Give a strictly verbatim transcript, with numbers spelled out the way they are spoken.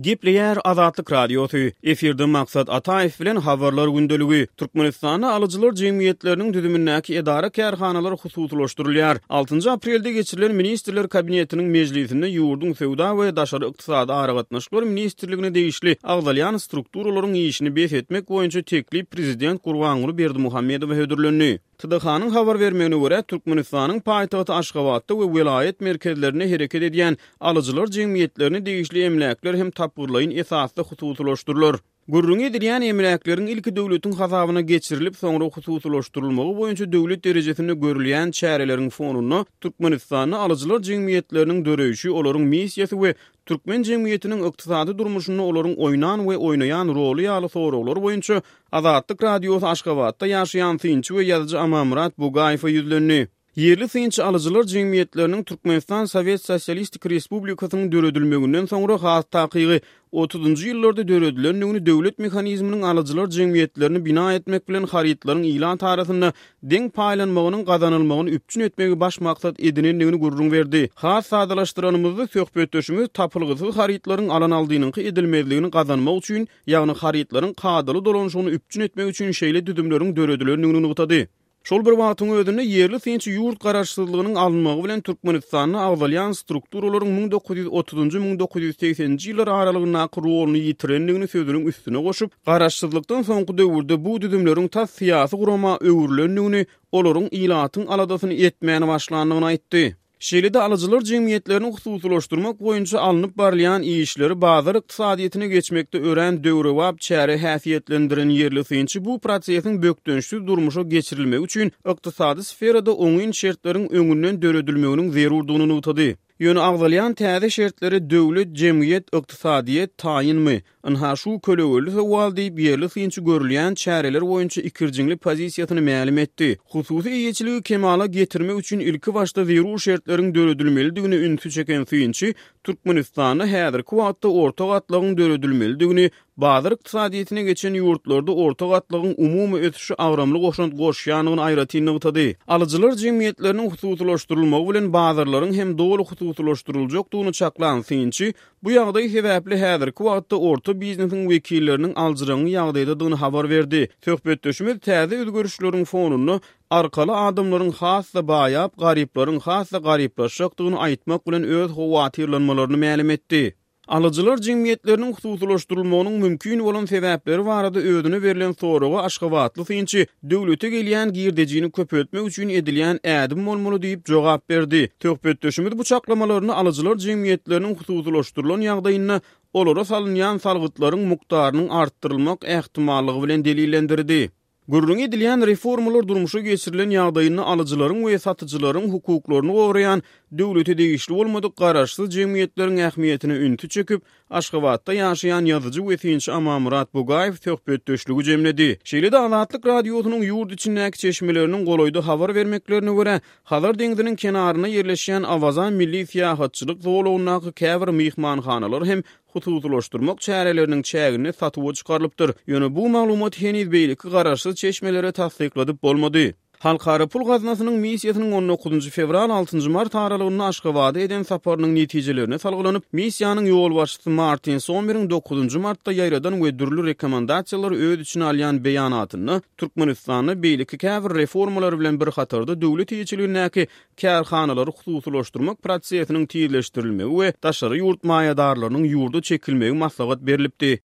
Gepleýär Azatlyk Radiosy. Efirde Maksat Ataýew bilen Habarlar gündeligi. Türkmenistanda alyjylar jemgyýetleriniň düzümindäki edara-kärhanalar hususylaşdyrylýar. Altynjy aprelde geçirilen Ministrler Kabinetiniň mejlisinde ýurduň Söwda we daşary ykdysady aragatnaşyklar ministrligine degişli agzalýan strukturalaryň işini bes etmek boýunça teklip prezident Gurbanguly Berdimuhamedowa hödürlendi. T D H-nyň habar bermegine görä, Türkmenistanyň paýtagty Aşgabatda we welaýat merkezlerinde hereket edýän alyjylar jemgyýetlerine degişli emläkler hem tapgyrlaýyn esasda hususylaşdyrylar. Gürrüňi edilýän emläkleriň ilki döwletiň hasabyna geçirilip, soňra hususylaşdyrylmagy boýunça döwlet derejesinde görülýän çäreleriň fonunda Türkmenistanda alyjylar jemgyýetleriniň döreýşi, olaryň missiýasy we türkmen jemgyýetiniň ykdysady durmuşynda olaryň oýnan we oýnaýan roly ýaly soraglar boýunça Azatlyk Radiosy Aşgabatda ýaşaýan synçy we ýazyjy Amanmyrat Bugaýewe ýüzlendi. Ýerli synçy alyjylar jemgyýetleriniň Türkmenistan Sowet Sosialistik Respublikasynyň döredilmeginden soňra, has takygy otuzynjy ýyllarda döredilendigini, döwlet mehanizminiň alyjylar jemgyýetlerini bina etmek bilen harytlaryň ilat arasynda deň paýlanmagynyň gazanylmagyny üpjün etmegi baş maksat edinendigini gürrüň berdi. Has sadalaşdyranymyzda, söhbetdeşimiz tapylgysyz harytlaryň alan-aldynyňky edilmezligini gazanmak üçin, ýagny harytlaryň kadaly dolanyşygyny üpjün etmek üçin şeýle düzümleriň döredilendigini nygtady. Şol bir wagtyň özünde ýerli synçy ýurt garaşsyzlygynyň alynmagy bilen Türkmenistanda agzalýan strukturalaryň müň dokuz ýüz otuzynjy-müň dokuz ýüz segseninji ýyllar aralygyndaky roluny ýitirendigini sözüniň üstüne goşup, garaşsyzlykdan soňky döwürde bu düzümleriň tas syýasy gurama öwrülendigini, olaryň ilatyň aladasyny etmän başlandygyny aýtdy. Şeýle-de alyjylar jemgyýetlerini hususylaşdyrmak boýunça alnyp barylýan işleri bazar ykdysadyýetine geçmekde örän döwrebap çäre häsiýetlendiren ýerli synçy bu prosesiň bökdençsiz durmuşa geçirilmegi üçin ykdysady sferada oňyn şertleriň öňünden döredilmeginiň zerurdygyny nygtady. Ýöne agzalýan täze şertlere döwlet, jemgyýet, ykdysadyýet taýynmy? Ynha şu kölegeli sowal diýip, ýerli synçy görülýän çäreler boýunça ikirjiňli pozisiýasyny mälim etdi. Hususy eýeçiligi kemala getirmek üçin ilki başda zerur şertleriň döredilmelidigine ünsi çeken synçy Türkmenistanda häzirki wagtda orta gatlagyň döredilmelidigini, bazar ykdysadyýetine geçen ýurtlarda orta gatlagyň umumy ösüşe agramly goşant goşýandygyny aýratyn nygtady. Alyjylar jemgyýetleriniň hususylaşdyrylmagy bilen bazarlaryň hem doly hususylaşdyryljakdygyny çaklan synçy bu ýagdaý sebäpli häzirki wagtda orta biznesiň wekilleriniň aljyraňňy ýagdaýdadygyny habar berdi. Söhbetdeşimiz täze özgerişleriň fonunda arkaly adamlaryň has-da baýap, garyplaryň has-da garyplaşjakdygyny aýtmak bilen öz howatyrlanmalaryny mälim etdi. Alyjylar jemgyýetleriniň hususylaşdyrylmagynyň mümkin bolan sebäpleri barada özüne berlen soraga aşgabatly synçy döwlete gelýän girdejini köpeltmek üçin edilýän ädim bolmaly diýip jogap berdi. Söhbetdeşimiz bu çaklamalaryny alyjylar jemgyýetleriniň hususylaşdyrylan ýagdaýynda olara salynýan salgytlaryň mukdarynyň artdyrylmak ähtimallygy bilen delillendirdi. Gürrüňi edilýän reformalar durmuşa geçirilen ýagdaýynda alyjylaryň we satyjylaryň hukuklaryny goraýan döwlete degişli bolmadyk garaşsyz jemgyýetleriň ähmiýetine ünsi çekip, Aşgabatda ýaşaýan ýazyjy we synçy Amanmyrat Bugaýew söhbetdeşligi jemledi. Şeýle-de Azatlyk Radiosynyň ýurt içindäki çeşmeleriniň golaýda habar bermeklerine görä, Hazar deňziniň kenarynda ýerleşýän Awaza milli syýahatçylyk zolagyndaky käbir myhmanhanalar hem hususylaşdyrmak çäreleriniň çäginde satuwa çykarylypdyr. Ýöne bu maglumat heniz beýleki garaşsyz çeşmelere tassykladyp bolmady. Halkara pul gaznasynyň missiýasynyň on dokuzynjy fewral altynjy mart aralygynda Aşgabada eden saparynyň netijelerine salgylanyp, missiýanyň ýolbaşçysy Martin Sommeriň dokuzynjy martda ýaýradan we dürli rekomendasiýalary öz içine alýan beýanatynda Türkmenistanda beýleki käbir reformalar bilen bir hatarda döwlet eýeçiligindäki kärhanalary hususylaşdyrmak prosesiniň tizleşdirilmegi we daşary ýurt maýadarlarynyň ýurda çekilmegi maslahat berlipdi.